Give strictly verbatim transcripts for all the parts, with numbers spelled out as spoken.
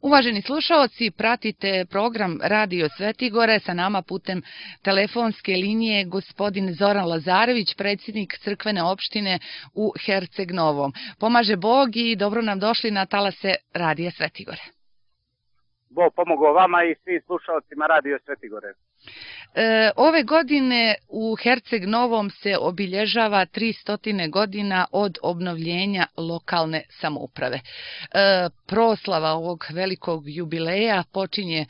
Uvaženi slušaoci, pratite program Radio Svetigore, sa nama putem telefonske linije gospodin Zoran Lazarević, predsjednik crkvene opštine u Herceg Novom. Pomaže Bog i dobro nam došli na talase Radija Svetigore. Bog pomogao vama i svim slušalcima Radio Svetigore. E, ove godine u Herceg Novom se obilježava tristo godina od obnovljenja lokalne samouprave. E, proslava ovog velikog jubileja počinje e,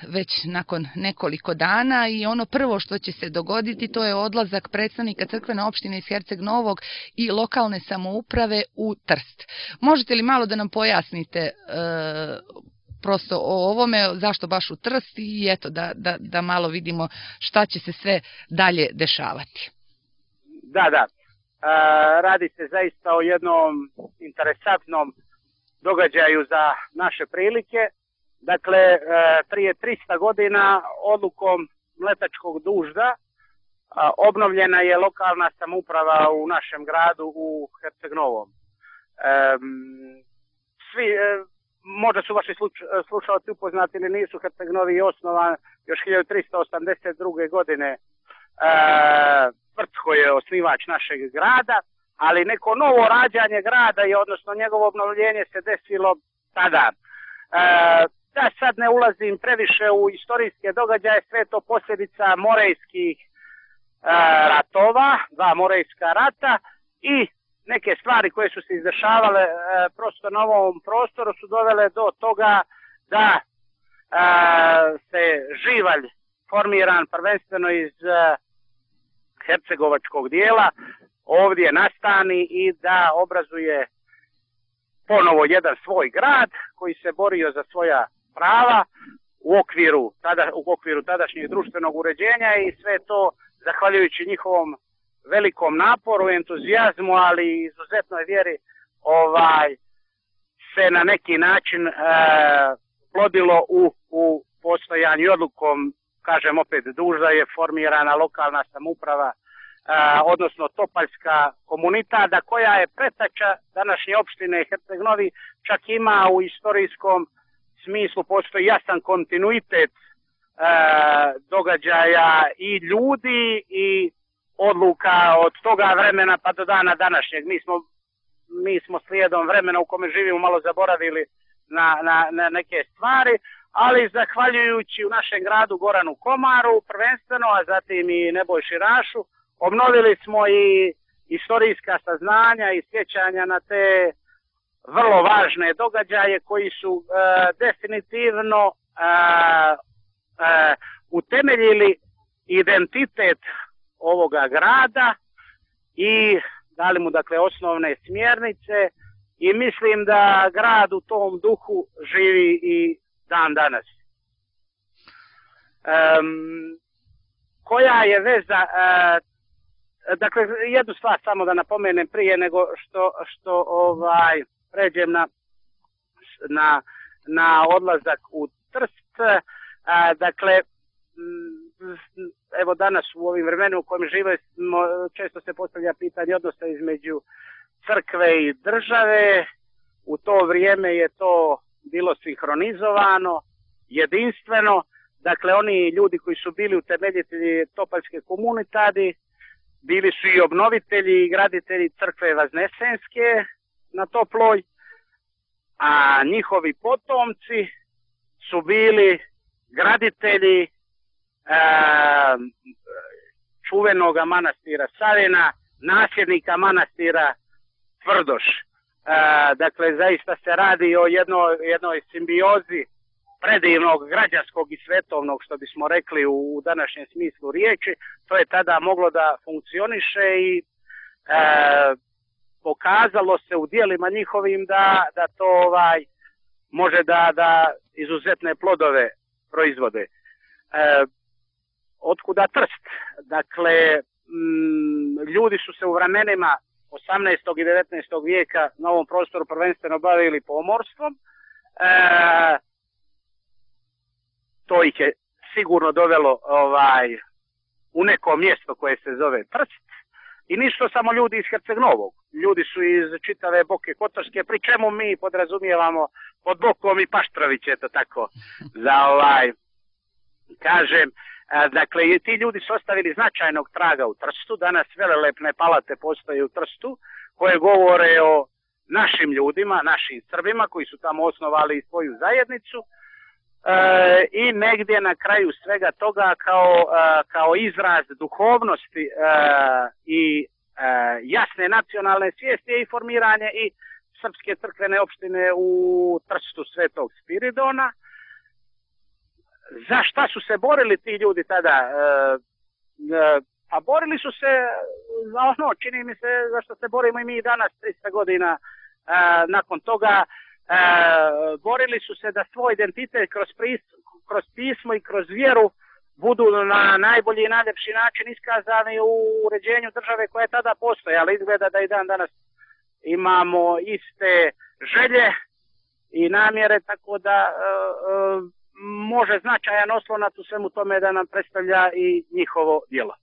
već nakon nekoliko dana i ono prvo što će se dogoditi to je odlazak predstavnika crkvene opštine iz Herceg Novog i lokalne samouprave u Trst. Možete li malo da nam pojasnite e, prosto o ovome, zašto baš u Trst i eto da, da, da malo vidimo šta će se sve dalje dešavati. Da, da. E, radi se zaista o jednom interesantnom događaju za naše prilike. Dakle, e, prije tristo godina odlukom Mletačkog dužda a, obnovljena je lokalna samouprava u našem gradu u Herceg Novom. E, svi... E, Možda su vaši slušalci upoznati ili nisu, Herceg Novi je osnovan još hiljadu tristo osamdeset druge godine. E, Tvrtko je osnivač našeg grada, ali neko novo rađanje grada je, odnosno njegovo obnovljenje se desilo tada. E, da sad ne ulazim previše u istorijske događaje, sve to posljedica morejskih e, ratova, dva morejska rata i neke stvari koje su se izdešavale e, prosto na ovom prostoru su dovele do toga da e, se živalj formiran prvenstveno iz e, hercegovačkog dijela ovdje nastani i da obrazuje ponovo jedan svoj grad koji se borio za svoja prava u okviru, tada, u okviru tadašnjeg društvenog uređenja i sve to zahvaljujući njihovom velikom naporu, entuzijazmu, ali i izuzetnoj vjeri ovaj, se na neki način e, plodilo u, u postojanju i odlukom, kažem opet, dužda je formirana lokalna samouprava, e, odnosno Topaljska komunitada, koja je pretača današnje opštine Herceg Novi, čak ima u istorijskom smislu, postoji jasan kontinuitet e, događaja i ljudi i odluka od toga vremena pa do dana današnjeg. Mi smo, mi smo slijedom vremena u kome živimo malo zaboravili na, na, na neke stvari, ali zahvaljujući u našem gradu Goranu Komaru prvenstveno, a zatim i Nebojši Rašu, obnovili smo i istorijska saznanja i sjećanja na te vrlo važne događaje koji su e, definitivno e, e, utemeljili identitet ovoga grada i dali mu dakle osnovne smjernice i mislim da grad u tom duhu živi i dan danas. Um, koja je veza, uh, dakle jednu stvar samo da napomenem prije nego što, što ovaj pređem na, na, na odlazak u Trst, uh, dakle evo danas u ovim vremenu u kojem žive često se postavlja pitanje odnosa između crkve i države. U to vrijeme je to bilo sinhronizovano, jedinstveno. Dakle, oni ljudi koji su bili utemeljitelji Topaljske komunitadi bili su i obnovitelji i graditelji crkve Vaznesenske na Toploj, a njihovi potomci su bili graditelji čuvenog manastira Savina, nasljednika manastira Tvrdoš. E, dakle, zaista se radi o jednoj, jednoj simbiozi predivnog građanskog i svetovnog, što bismo rekli u, u današnjem smislu riječi. To je tada moglo da funkcioniše i e, pokazalo se u dijelima njihovim da, da to ovaj može da, da izuzetne plodove proizvode. E, Otkuda Trst? Dakle, m, ljudi su se u vremenima osamnaestog i devetnaestog vijeka na ovom prostoru prvenstveno bavili pomorstvom. E, to ih je sigurno dovelo ovaj, u neko mjesto koje se zove Trst. I nisu samo ljudi iz Herceg Novog. Ljudi su iz čitave Boke Kotorske, pri čemu mi podrazumijevamo pod bokom i Paštrović, eto tako, za ovaj, kažem, dakle, ti ljudi su ostavili značajnog traga u Trstu, danas velelepne palate postoje u Trstu, koje govore o našim ljudima, našim Srbima, koji su tamo osnovali svoju zajednicu, e, i negdje na kraju svega toga kao, e, kao izraz duhovnosti e, i e, jasne nacionalne svijesti je i formiranje i Srpske crkvene opštine u Trstu Svetog Spiridona. Za šta su se borili ti ljudi tada? E, e, a borili su se za ono, čini mi se, za što se borimo i mi danas, tristo godina e, nakon toga. E, borili su se da svoj identitet kroz, pris, kroz pismo i kroz vjeru budu na najbolji i najljepši način iskazani u uređenju države koja je tada postoje, ali izgleda da i dan danas imamo iste želje i namjere, tako da e, e, može značajan oslonac u svemu tome da nam predstavlja i njihovo djelo.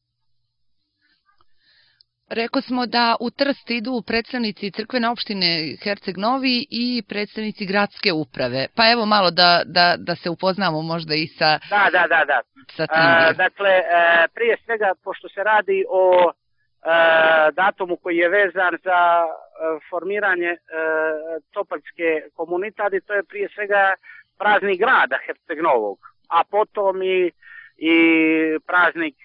Rekao smo da u Trst idu predstavnici crkvene opštine Herceg Novi i predstavnici gradske uprave. Pa evo malo da, da, da se upoznamo možda i sa, da, da, da, da. sa tim. A, dakle, e, prije svega, pošto se radi o e, datumu koji je vezan za e, formiranje e, Topaljske komunitade, to je prije svega praznik grada Herceg Novog, a potom i, i praznik e,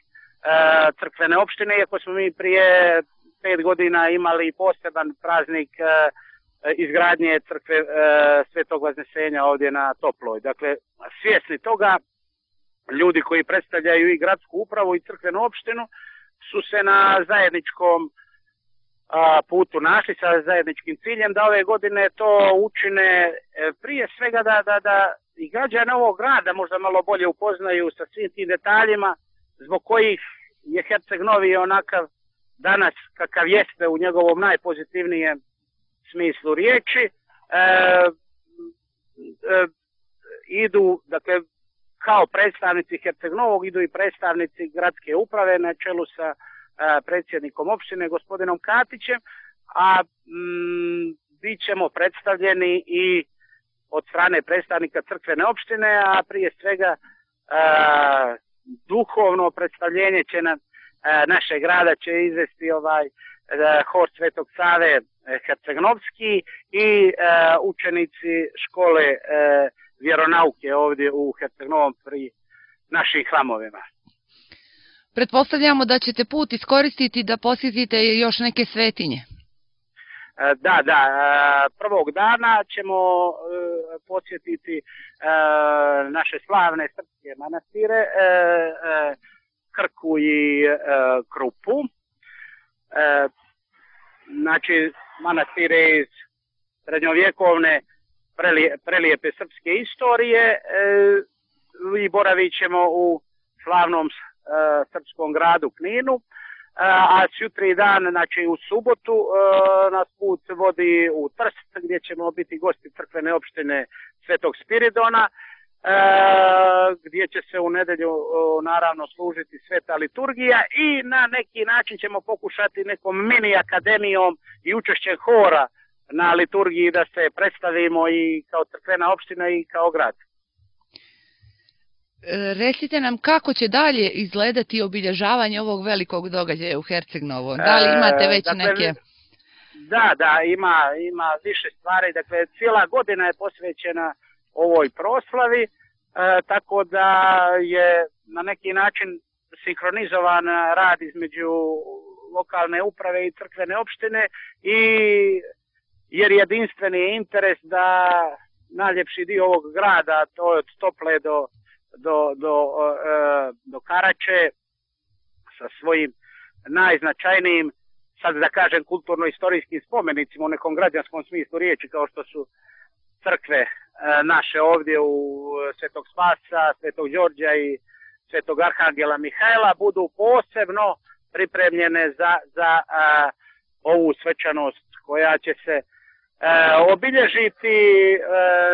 crkvene opštine, iako smo mi prije pet godina imali poseban praznik e, izgradnje crkve e, Svetog Vaznesenja ovdje na Toploj. Dakle, svjesni toga, ljudi koji predstavljaju i gradsku upravu i crkvenu opštinu su se na zajedničkom a, putu našli sa zajedničkim ciljem da ove godine to učine e, prije svega da, da, da i građane ovog grada možda malo bolje upoznaju sa svim tim detaljima zbog kojih je Herceg Novi onakav danas kakav jeste u njegovom najpozitivnijem smislu riječi. E, e, idu, dakle, kao predstavnici Herceg Novog idu i predstavnici gradske uprave na čelu sa a, predsjednikom opštine, gospodinom Katićem, a m, bit ćemo predstavljeni i od strane predstavnika crkvene opštine, a prije svega a, duhovno predstavljenje će nam a, naše grada će izvesti ovaj a, hor Svetog Save Herceg-Novski i a, učenici škole a, vjeronauke ovdje u Herceg Novom pri našim hramovima. Pretpostavljamo da ćete put iskoristiti da posjetite još neke svetinje. Da, da, prvog dana ćemo posjetiti naše slavne srpske manastire, Krku i Krupu. Znači, manastire iz srednjovjekovne prelijepe srpske istorije i boravit ćemo u slavnom srpskom gradu Kninu, a jutri dan, znači u subotu, nas put vodi u Trst gdje ćemo biti gosti crkvene opštine Svetog Spiridona, gdje će se u nedelju naravno služiti sveta liturgija i na neki način ćemo pokušati nekom mini akademijom i učešćem hora na liturgiji da se predstavimo i kao crkvena opština i kao grad. Recite nam kako će dalje izgledati obilježavanje ovog velikog događaja u Herceg Novom. Da li imate već dakle, neke... Da, da, ima, ima više stvari. Dakle, cijela godina je posvećena ovoj proslavi, e, tako da je na neki način sinhronizovan rad između lokalne uprave i crkvene opštine i jer jedinstveni interes da najljepši dio ovog grada, to je od Tople do do, do, do Karače sa svojim najznačajnijim, sad da kažem, kulturno-istorijskim spomenicima u nekom građanskom smislu riječi, kao što su crkve naše ovdje u Svetog Spasa, Svetog Đorđa i Svetog Arhangela Mihajla, budu posebno pripremljene za, za a, ovu svečanost koja će se E, obilježiti e,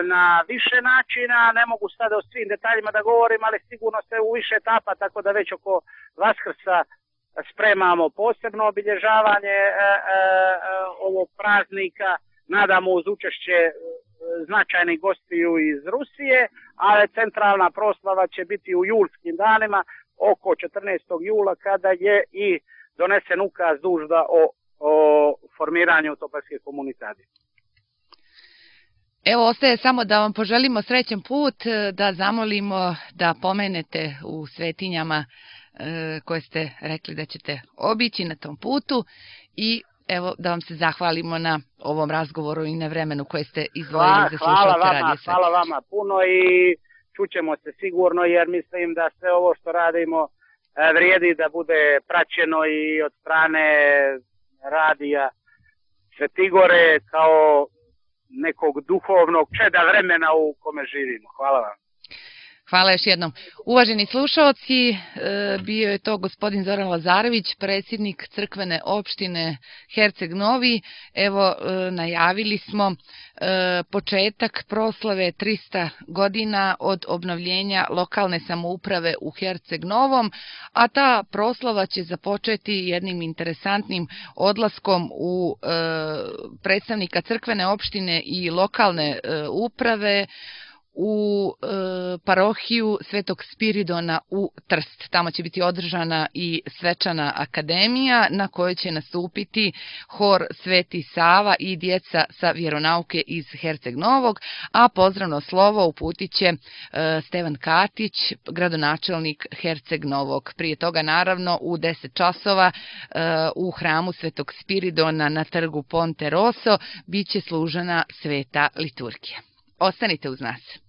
na više načina. Ne mogu sada o svim detaljima da govorim, ali sigurno se u više etapa, tako da već oko Vaskrsa spremamo posebno obilježavanje e, e, ovog praznika. Nadamo uz učešće značajnih gostiju iz Rusije, ali centralna proslava će biti u julskim danima oko četrnaestog jula kada je i donesen ukaz dužda o, o formiranju Topelske komunitacije. Evo, ostaje samo da vam poželimo srećan put, da zamolimo da pomenete u svetinjama koje ste rekli da ćete obići na tom putu i evo da vam se zahvalimo na ovom razgovoru i na vremenu koje ste izdvojili za slušalce Radio Svet. Hvala vama puno i čućemo se sigurno, jer mislim da sve ovo što radimo vrijedi da bude praćeno i od strane radija Svetigore kao nekog duhovnog čeda vremena u kome živimo. Hvala vam. Hvala još jednom. Uvaženi slušalci, bio je to gospodin Zoran Lazarević, predsjednik crkvene opštine Herceg Novi. Evo, najavili smo početak proslave trista godina od obnovljenja lokalne samouprave u Herceg Novom, a ta proslava će započeti jednim interesantnim odlaskom u predstavnika crkvene opštine i lokalne uprave u e, parohiju Svetog Spiridona u Trst. Tamo će biti održana i svečana akademija na kojoj će nastupiti hor Sveti Sava i djeca sa vjeronauke iz Herceg Novog, a pozdravno slovo uputit će e, Stevan Katić, gradonačelnik Herceg Novog. Prije toga naravno u deset časova e, u hramu Svetog Spiridona na trgu Ponte Rosso bit će služena sveta liturgija. Ostanite uz nas.